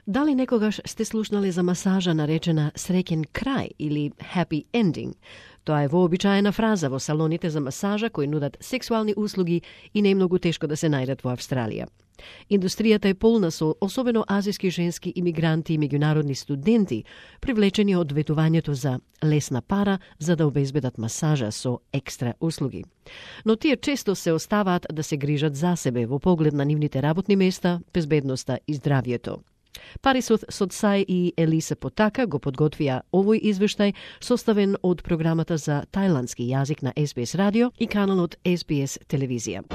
Дали некогаш сте слушнале за масажа наречена среќен крај или happy ending? Тоа е вообичаена фраза во салоните за масажа кои нудат сексуални услуги и не е многу тешко да се најдат во Австралија. Индустријата е полна со особено азиски женски имигранти и меѓународни студенти, привлечени од ветувањето за лесна пара за да обезбедат масажа со екстра услуги. Но тие често се оставаат да се грижат за себе во поглед на нивните работни места, безбедноста и здравието. Парисот Содсај и Елиса Потака го подготвија овој извештај составен од програмата за тајландски јазик на SBS радио и каналот SBS телевизија.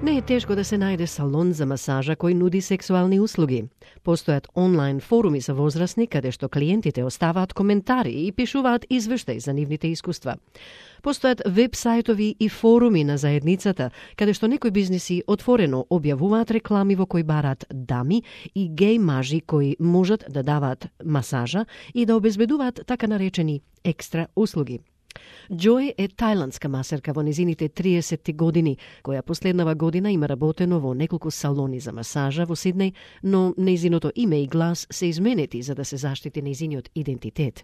Не е тешко да се најде салон за масажа кој нуди сексуални услуги. Постојат онлайн форуми за возрастни каде што клиентите оставаат коментари и пишуваат извештаи за нивните искуства. Постојат веб-сајтови и форуми на заедницата каде што некои бизниси отворено објавуваат реклами во кои бараат дами и геј мажи кои можат да даваат масажа и да обезбедуваат така наречени екстра услуги. Џој е тајландска масерка во незините 30 години, која последнава година има работено во неколку салони за масажа во Сиднеј, но незиното име и глас се изменети за да се заштити незиниот идентитет.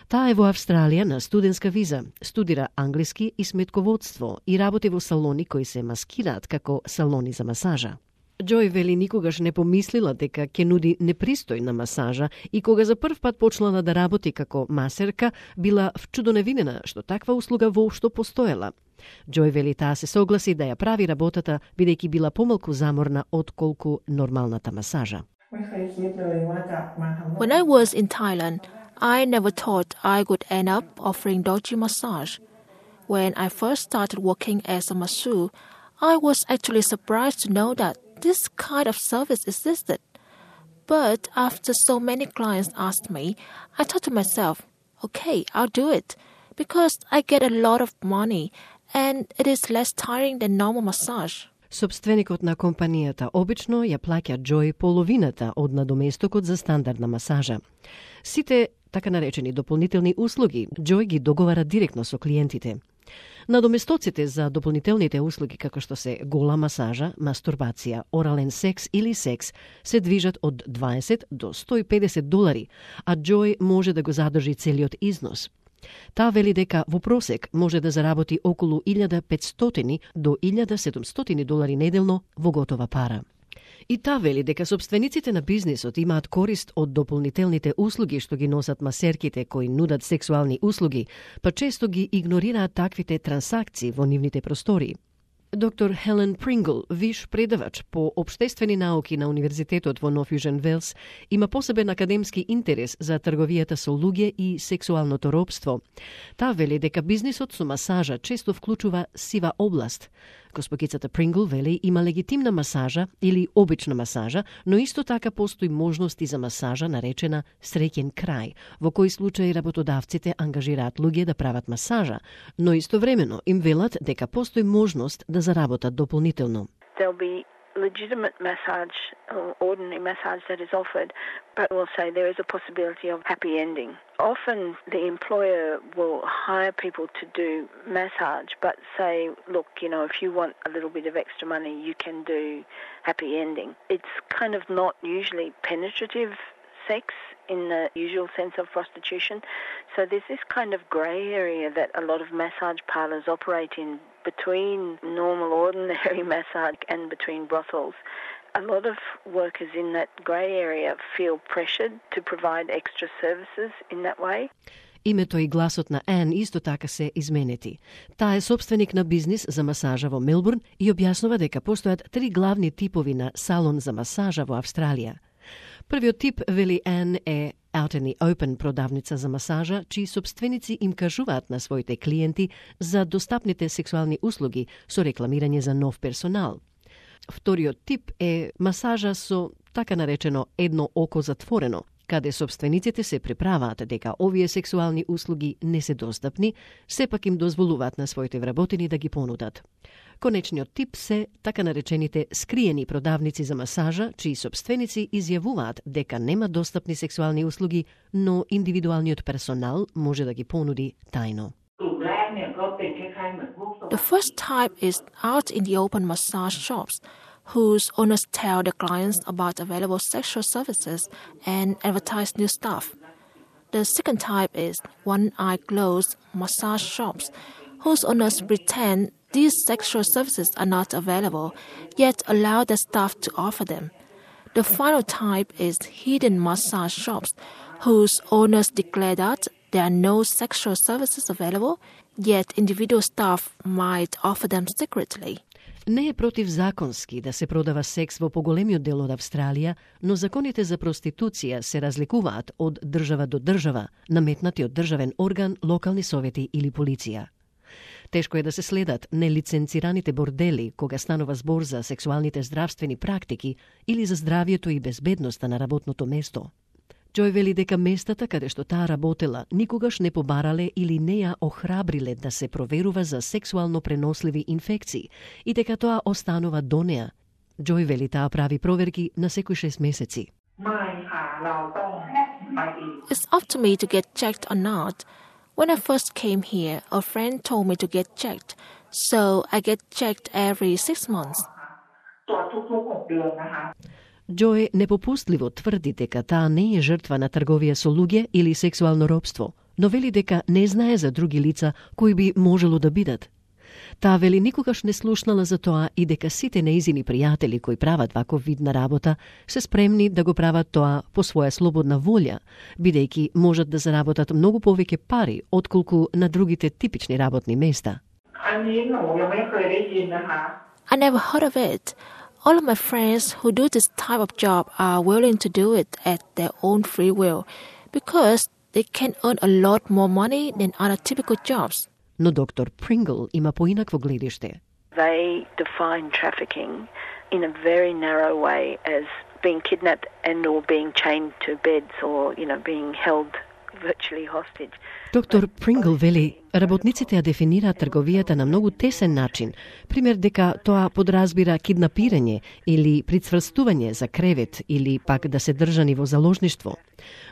Таа е во Австралија на студентска виза, студира англиски и сметководство и работи во салони кои се маскираат како салони за масажа. Џој вели никогаш не помислила дека ќе нуди непристојна масажа и кога за прв пат почнала да работи како масерка, била вчудоневинена што таква услуга воопшто постоела. Џој вели таа се согласи да ја прави работата бидејќи била помалку заморна отколку нормалната масажа. When I was in Thailand, I never thought I could end up offering doji massage. When I first started working as a masseur, I was actually surprised to know that this kind of service existed. But after so many clients asked me, I thought to myself, okay, I'll do it because I get a lot of money and it is less tiring than normal massage. Собственикот на компанијата обично ја плаќа Џој половината од надоместокот за стандардна масажа. Сите така наречени дополнителни услуги Џој ги договара директно со клиентите. Надоместоците за дополнителните услуги како што се гола масажа, мастурбација, орален секс или секс се движат од 20 до $150, а Џој може да го задржи целиот износ. Таа вели дека во просек може да заработи околу $1,500 до $1,700 неделно во готова пара. И таа вели дека собствениците на бизнисот имаат корист од дополнителните услуги што ги носат масерките кои нудат сексуални услуги, па често ги игнорираат таквите трансакции во нивните простории. Доктор Хелен Прингл, виш предавач по општествени науки на Универзитетот во Нов Јужен Велс, има посебен академски интерес за трговијата со луѓе и сексуалното робство. Таа вели дека бизнисот со масажа често вклучува сива област. Госпогицата Прингл вели има легитимна масажа или обична масажа, но исто така постои можности за масажа наречена среќен крај, во кои случаи работодавците ангажираат луѓе да прават масажа, но истовремено им велат дека постои можност да заработат дополнително. There'll be legitimate massage or ordinary massage that is offered, but we'll say there is a possibility of happy ending. Often the employer will hire people to do massage, but say, look, if you want a little bit of extra money, you can do happy ending. It's kind of not usually penetrative sex in the usual sense of prostitution. So there's this kind of grey area that a lot of massage parlours operate in between normal, ordinary massage and between brothels. A lot of workers in that grey area feel pressured to provide extra services in that way. Името и гласот на Ан исто така се изменети. Таа е собственик на бизнис за масажа во Мелбурн и објаснува дека постојат 3 главни типови на салон за масажа во Австралија. Првиот тип, вели Ан, е out in the open продавница за масажа, чии собственици им кажуваат на своите клиенти за достапните сексуални услуги со рекламирање за нов персонал. Вториот тип е масажа со така наречено едно око затворено, каде собствениците се приправаат дека овие сексуални услуги не се достапни, сепак им дозволуваат на своите вработени да ги понудат. Конечниот тип се така наречените скриени продавници за масажа, чии собственици изјавуваат дека нема достапни сексуални услуги, но индивидуалниот персонал може да ги понуди тајно. Group Black Milk The first type is out in the open massage shops, whose owners tell their clients about available sexual services and advertise new stuff. The second type is one-eye closed massage shops, whose owners pretend these sexual services are not available, yet allow their staff to offer them. The final type is hidden massage shops, whose owners declare that there are no sexual services available, yet individual staff might offer them secretly. Не е противзаконски да се продава секс во поголемиот дел од Австралија, но законите за проституција се разликуваат од држава до држава, наметнати од државен орган, локални совети или полиција. Тешко е да се следат нелиценцираните бордели кога станува збор за сексуалните здравствени практики или за здравието и безбедноста на работното место. Џој вели дека местата каде што таа работела никогаш не побарале или не ја охрабриле да се проверува за сексуално преносливи инфекции и дека тоа останува до неа. Џој вели таа прави проверки на секои 6 месеци. It's up to me to get checked or not. When I first came here, a friend told me to get checked, so I get checked every 6 months. Џој непопустливо тврди дека таа не е жртва на трговија со луѓе или сексуално робство, но вели дека не знае за други лица кои би можело да бидат. Таа вели никогаш не слушнала за тоа и дека сите неизини пријатели кои прават ваков вид на работа се спремни да го прават тоа по своја слободна волја, бидејќи можат да заработат многу повеќе пари отколку на другите типични работни места. I never heard of it. All of my friends who do this type of job are willing to do it at their own free will because they can earn a lot more money than other typical jobs. Но доктор Прингл има поинакво гледиште. They define trafficking in a very narrow way as being kidnapped and or being chained to beds or, being held virtually hostage. Доктор Прингл вели, работниците ја дефинираат трговијата на многу тесен начин, пример дека тоа подразбира киднапирање или прицврстување за кревет или пак да се држани во заложништво.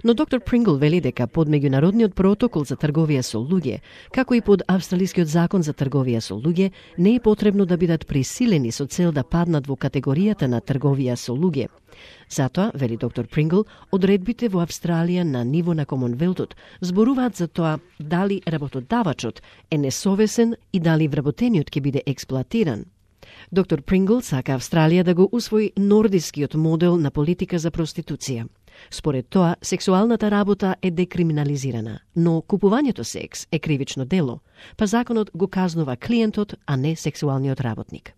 Но доктор Прингл вели дека под меѓународниот протокол за трговија со луѓе, како и под австралискиот закон за трговија со луѓе, не е потребно да бидат присилени со цел да паднат во категоријата на трговија со луѓе. Затоа, вели доктор Прингл, одредбите во Австралија на ниво на Комонвелтот зборуваат за тоа дали работодавачот е несовесен и дали вработениот ќе биде експлоатиран. Доктор Прингл сака Австралија да го усвои нордискиот модел на политика за проституција. Според тоа, сексуалната работа е декриминализирана, но купувањето секс е кривично дело, па законот го казнува клиентот, а не сексуалниот работник.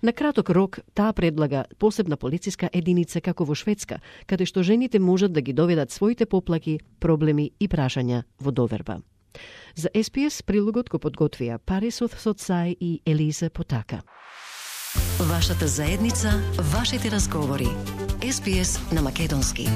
На краток рок, таа предлага посебна полициска единица како во Шведска, каде што жените можат да ги доведат своите поплаки, проблеми и прашања во доверба. За SPS прилогот го подготвија Парис Соцај и Елизе Потака. Вашата заедница, вашите разговори. SPS на македонски.